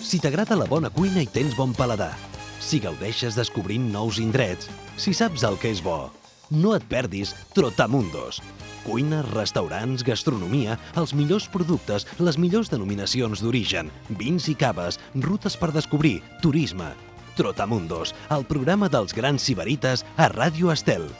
Si t'agrada la bona cuina i tens bon paladar, si gaudeixes descobrint nous indrets, si saps el que és bo, no et perdis Trotamundos. Cuina, restaurants, gastronomia, els millors productes, les millors denominacions d'origen, vins i caves, rutes per descobrir, turisme. Trotamundos, el programa dels grans sibarites a Ràdio Estel.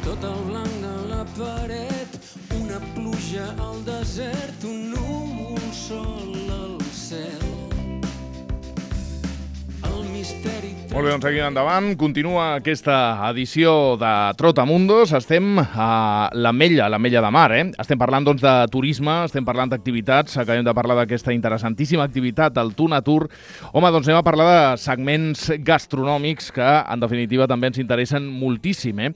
Tot el blanc de la paret, una pluja al desert, un núvol sol al cel. El misteri... Molt bé, doncs seguim endavant. Continua aquesta edició de Trotamundos. Estem a l'Ametlla de Mar, Estem parlant doncs, de turisme, estem parlant d'activitats. Acabem de parlar d'aquesta interessantíssima activitat, el Tunatur. Home, doncs anem a parlar de segments gastronòmics que, en definitiva, també ens interessen moltíssim,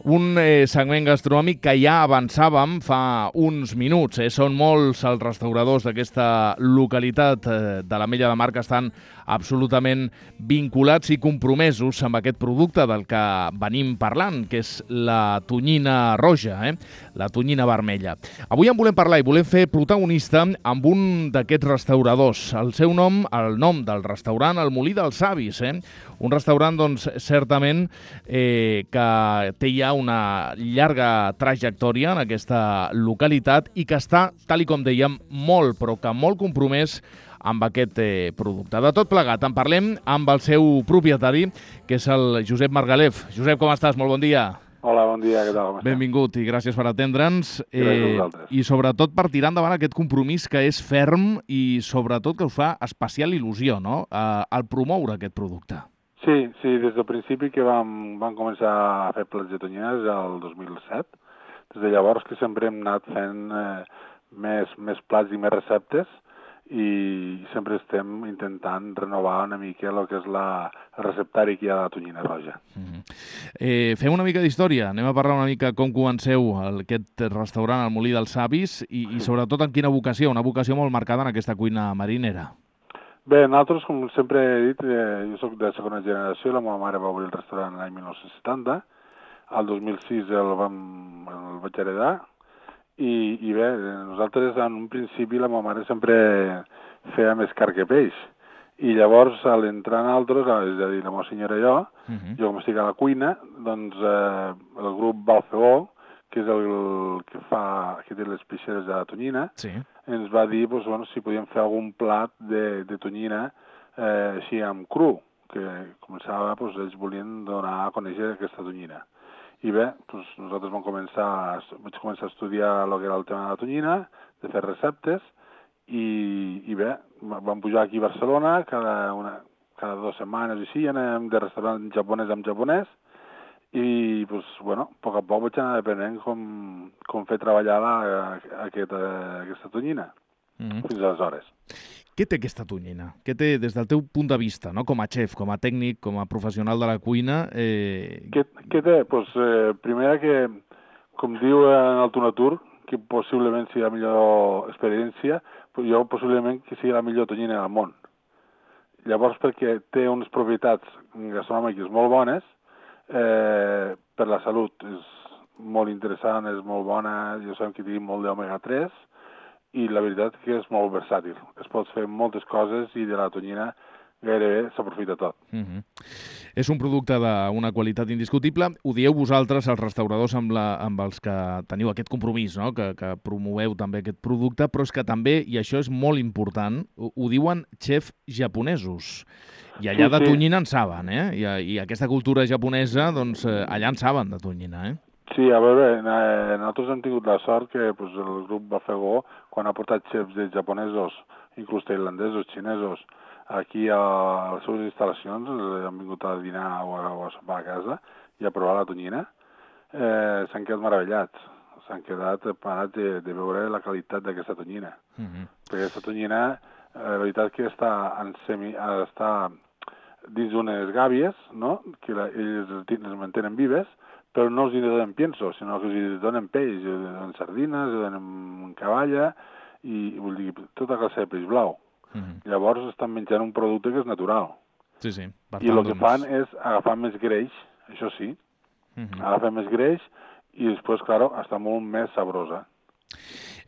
Un segment gastronòmic que ja avançàvem fa uns minuts. Són molts els restauradors d'aquesta localitat de l'Ametlla de Mar que estan absolutament vinculats i compromesos amb aquest producte del que venim parlant, que és la tonyina roja, la tonyina vermella. Avui en volem parlar i volem fer protagonista amb un d'aquests restauradors. El seu nom, el nom del restaurant, el Molí dels Savis, Un restaurant, doncs, certament que té ja una llarga trajectòria en aquesta localitat i que està, tal i com dèiem, molt, però que molt compromès amb aquest producte. De tot plegat, en parlem amb el seu propietari, que és el Josep Margalef. Josep, com estàs? Molt bon dia. Hola, bon dia, què tal? Benvingut i gràcies per atendre'ns. Gràcies a vosaltres. I sobretot per tirar endavant aquest compromís que és ferm i sobretot que us fa especial il·lusió, no?, al promoure aquest producte. Sí, des del principi que vam començar a fer plats de tonyines el 2007. Des de llavors que sempre hem anat fent més plats i més receptes i sempre estem intentant renovar una mica el que és el receptari que hi ha de la tonyina roja. Fem una mica d'història. Anem a parlar una mica com comenceu aquest restaurant al Molí dels Savis i sobretot en quina vocació, una vocació molt marcada en aquesta cuina marinera. Bé, nosaltres, com sempre he dit, jo soc de segona generació, la meva mare va obrir el restaurant l'any 1970, el 2006 el vaig heredar, i bé, nosaltres en un principi la meva mare sempre feia més carn que peix, i llavors a l'entrar nosaltres, és a dir, la meva senyora i jo, jo com estic a la cuina, doncs el grup Balfeó, que és el que té les peixeres de la tonyina, ens va dir si podíem fer algun plat de tonyina així amb cru, que començava, ells volien donar a conèixer aquesta tonyina. I bé, nosaltres vaig començar a estudiar el que era el tema de la tonyina, de fer receptes, i bé, vam pujar aquí a Barcelona, cada 2 setmanes així, anem de restaurant japonès amb japonès, i, a poc a poc vaig anar aprenent com fer treballar aquesta tonyina, fins aleshores. Què té aquesta tonyina? Què té des del teu punt de vista, no? Com a xef, com a tècnic, com a professional de la cuina? Què té? Primera que, com diu en el Tunatur, que possiblement sigui la millor experiència, jo possiblement que sigui la millor tonyina del món. Llavors, perquè té unes propietats gastronòmiques molt bones, per la salut és molt interessant, és molt bona, ja sabem que té molt d'omega-3 i la veritat que és molt versàtil. Es pot fer moltes coses i de la tonyina gairebé s'aprofita tot. És un producte d'una qualitat indiscutible. Ho dieu vosaltres, els restauradors amb els que teniu aquest compromís, no? que promoveu també aquest producte, però és que també, i això és molt important, ho diuen xefs japonesos. I allà de tonyina en saben, I aquesta cultura japonesa, doncs, allà en saben de tonyina, Sí, a veure, nosaltres hem tingut la sort que el grup Bafegó, quan ha portat xefs japonesos, inclús tailandesos, xinesos, aquí a les seves instal·lacions, han vingut a dinar o a sopar a casa i a provar la tonyina, s'han quedat meravellats. S'han quedat parats de veure la qualitat d'aquesta tonyina. Perquè aquesta tonyina, la veritat que està dins d'unes gàbies, no? Que ells les mantenen vives, però no els hi donen pienso, sinó que els hi donen peix, els donen sardines, els donen cavalla, i vull dir, tota classe de peix blau. Llavors estan menjant un producte que és natural. Sí, sí. Per I tant, el que fan és agafar més greix, això sí, agafar més greix i després, clar, està molt més sabrosa.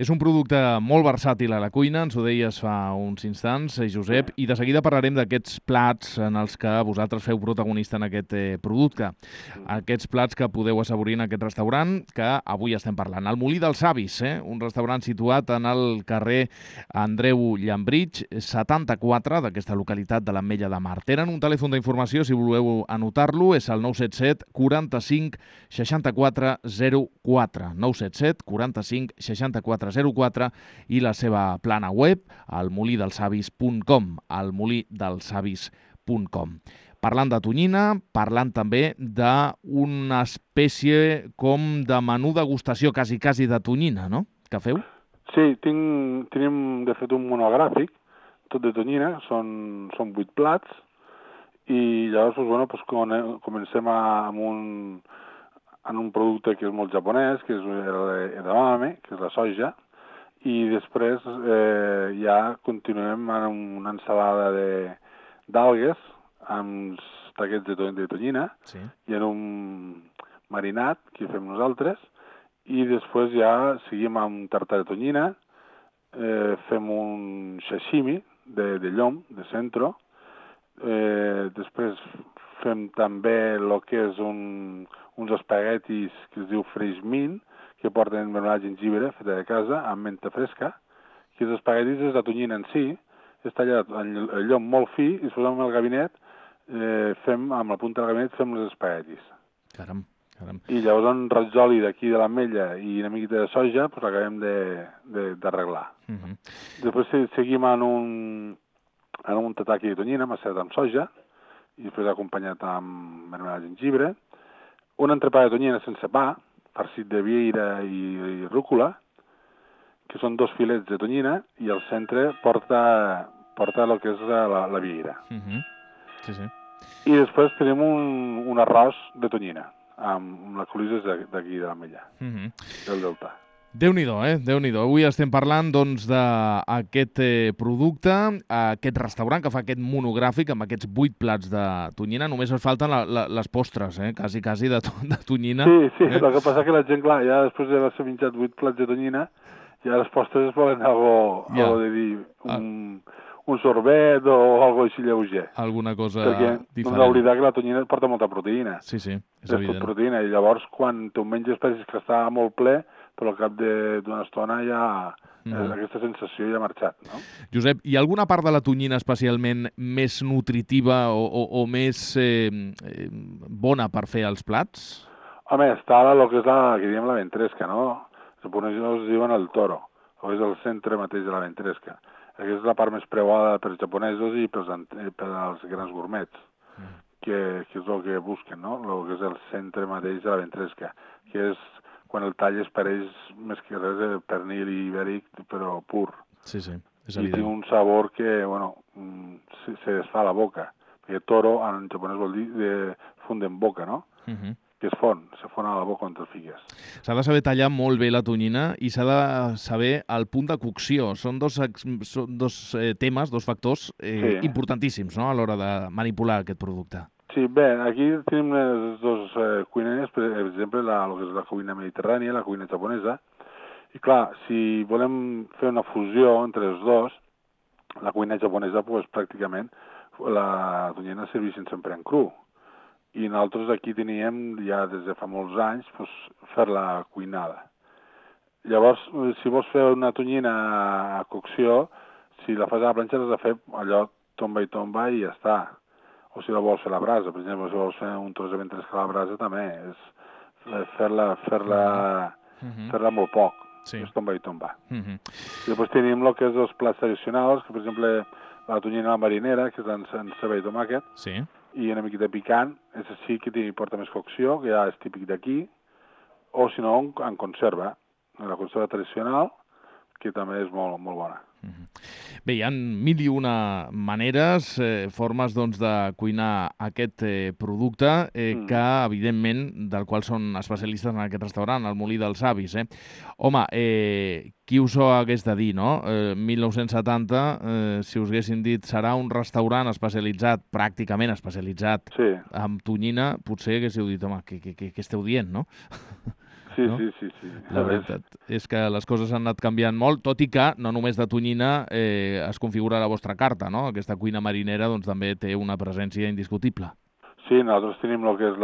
És un producte molt versàtil a la cuina, ens ho deies fa uns instants, Josep, i de seguida parlarem d'aquests plats en els que vosaltres feu protagonista en aquest producte. Aquests plats que podeu assaborir en aquest restaurant que avui estem parlant. El Molí dels Avis, un restaurant situat en el carrer Andreu Llambrig, 74 d'aquesta localitat de l'Ametlla de Mar. Tenen un telèfon d'informació, si voleu anotar-lo, és el 977 45 64 04. 977 45 64 04 i la seva plana web, almolidelsavis.com, almolidelsavis.com. Parlant de tonyina, parlant també d'una espècie com de menú degustació quasi de tonyina, no?, que feu? Sí, tenim de fet un monogràfic, tot de tonyina, són 8 plats, i llavors comencem en un producte que és molt japonès, que és l'edamame, que és la soja, i després ja continuem amb una ensalada d'algues amb taquets de tonyina i en un marinat que fem nosaltres, i després ja seguim amb tartar de tonyina, fem un sashimi de llom, de centro, després fem també el que és uns espaguetis que es diu fresh mint, que porten marmelada de jengibre feta de casa amb menta fresca, que els espaguetis és la tonyina en si, és tallat el llom molt fi, i després amb el gabinet, amb la punta del gabinet fem els espaguetis. Caram. I llavors en ratzoli d'aquí de l'ametlla i una miqueta de soja, doncs l'acabem d'arreglar. Després seguim en un tataki de tonyina macerat amb soja, i després acompanyat amb marmelada de jengibre, un entrepà de tonyina sense pa, farcit de vieira i rúcula, que són 2 filets de tonyina, i al centre porta el que és la vieira. I després tenim un arròs de tonyina, amb les colises d'aquí de l'ametlla, del delta. Déu-n'hi-do, Déu-n'hi-do. Avui estem parlant, doncs, d'aquest producte, aquest restaurant que fa aquest monogràfic amb aquests 8 plats de tonyina. Només ens falten les postres, quasi de tonyina. Sí, el que passa que la gent, clar, ja després d'haver-se menjat 8 plats de tonyina, ja les postres es volen algo de dir, un sorbet o algo així lleuger. Alguna cosa diferent. Perquè no hem d'oblidar que la tonyina porta molta proteïna. Sí, és És evident. tot proteïna, i llavors quan tu menges penses que està molt ple, però al cap d'una estona ja aquesta sensació ja ha marxat, no? Josep, hi ha alguna part de la tonyina especialment més nutritiva o més bona per fer els plats? Home, està el que és que diem la ventresca, no? Els japonesos diuen el toro, o és el centre mateix de la ventresca. Aquesta és la part més preuada pels japonesos i pels grans gourmets, que és el que busquen, no? El que és el centre mateix de la ventresca, que és quan el talles pareix més que res de pernil ibèric, però pur. Sí, és I evident. té un sabor que, se desfà a la boca, perquè toro en japonès vol dir fund en boca, no? Que es fon a la boca on te'l fiques. S'ha de saber tallar molt bé la tonyina i s'ha de saber el punt de cocció. Són dos temes, dos factors importantíssims, no?, a l'hora de manipular aquest producte. Sí, bé, aquí tenim les dues cuines, per exemple, el que és la cuina mediterrània, la cuina japonesa, i clar, si volem fer una fusió entre els dos, la cuina japonesa, doncs, pràcticament, la tonyina serveixen sempre en cru, i nosaltres aquí teníem, ja des de fa molts anys, fer-la cuinada. Llavors, si vols fer una tonyina a cocció, si la fas a la planxa has de fer allò tomba i ja està. O si la vols fer a la brasa, per exemple, si vols fer un tros de ventresca a la brasa, també és fer-la molt poc, és tomba i tomba. I després tenim el que és els plats tradicionals, que per exemple la tonyina a la marinera, que és en ceba i tomàquet, i una miqueta picant, és així que porta més cocció, que ja és típic d'aquí, o si no, en conserva, la conserva tradicional, que també és molt, molt bona. Bé, hi ha mil i una maneres, formes doncs, de cuinar aquest producte que, evidentment, del qual són especialistes en aquest restaurant, el Molí dels Avis. Home, qui us ho hagués de dir, no? 1970, si us haguessin dit serà un restaurant especialitzat, pràcticament especialitzat, en tonyina, potser haguéssiu dit, home, què esteu dient, no? Sí, no? sí. La veritat és que les coses han anat canviant molt, tot i que no només de tonyina es configura la vostra carta, no? Aquesta cuina marinera doncs, també té una presència indiscutible. Sí, nosaltres tenim el que és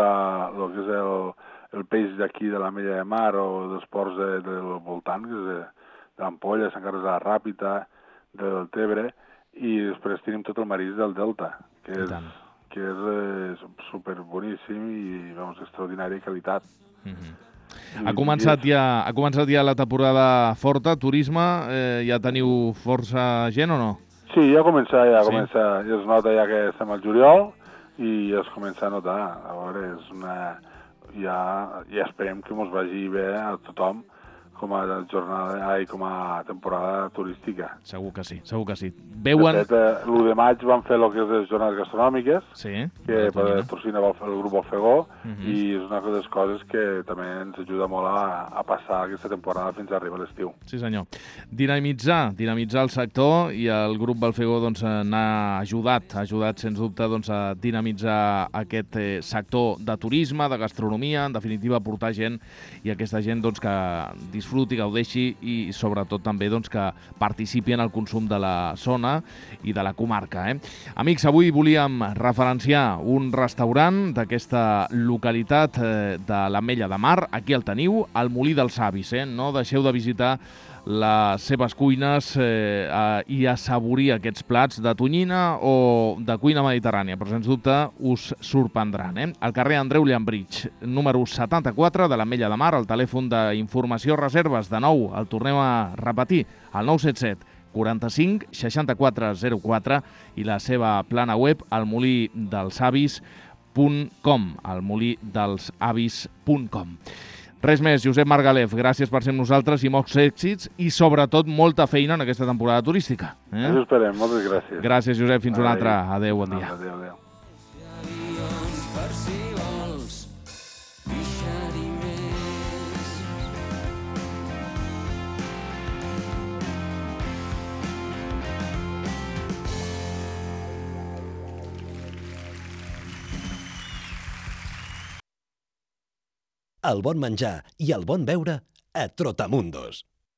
el peix d'aquí de l'Ametlla de Mar o dels ports del voltant, que és de l'Ampolla, Sant Carles de la Ràpita, del Tebre, i després tenim tot el marisc del Delta, que és super boníssim i extraordinària qualitat. Ha començat ja la temporada forta, turisme, ja teniu força gent o no? Sí, ja comença, ja es nota ja que estem al juliol i ja es comença a notar. A veure, ja esperem que ens vagi bé a tothom com a jornada i com a temporada turística. Segur que sí, segur que sí. Veuen... De fet, l'1 de maig van fer el que és les jornades gastronòmiques, que patrocina el grup Alfegó, i és una de les coses que també ens ajuda molt a passar aquesta temporada fins a arribar a l'estiu. Sí, senyor. Dinamitzar el sector, i el grup Alfegó doncs, n'ha ajudat, sens dubte doncs, a dinamitzar aquest sector de turisme, de gastronomia, en definitiva portar gent, i aquesta gent doncs, que disfruti, gaudeixi i sobretot també doncs, que participi en el consum de la zona i de la comarca. Amics, avui volíem referenciar un restaurant d'aquesta localitat de l'Ametlla de Mar. Aquí el teniu, el Molí dels Avis. No deixeu de visitar les seves cuines i assaborir aquests plats de tonyina o de cuina mediterrània, però sens dubte us sorprendran. Al carrer Andreu Llambridge, número 74 de l'Ametlla de Mar, el telèfon d'informació reserves, de nou, el tornem a repetir, el 977 45 64 04, i la seva plana web, almolidelsavis.com, almolidelsavis.com. Res més, Josep Margalef, gràcies per ser amb nosaltres i molts èxits i sobretot molta feina en aquesta temporada turística. Ens esperem, moltes gràcies. Gràcies, Josep, fins una altra. Adéu, bon dia. Adéu. El bon menjar i el bon beure a Trotamundos.